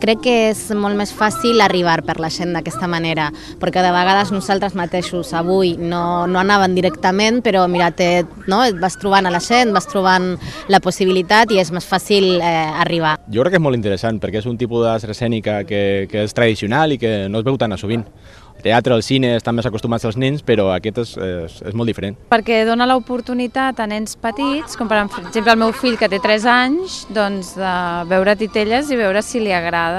crec que és molt més fàcil arribar per la gent d'aquesta manera, perquè de vegades nosaltres mateixos avui no anaven directament, però mira, et vas trobant a la gent, vas trobant la possibilitat i és més fàcil arribar. Jo crec que és molt interessant perquè és un tipus d'art escènica que és tradicional i que no es veu tan a sovint. El teatre, el cine estan més acostumats als nens, però aquest és molt diferent. Perquè dona l'oportunitat a nens petits, com per exemple el meu fill que té 3 anys, doncs de veure titelles i veure si li agrada.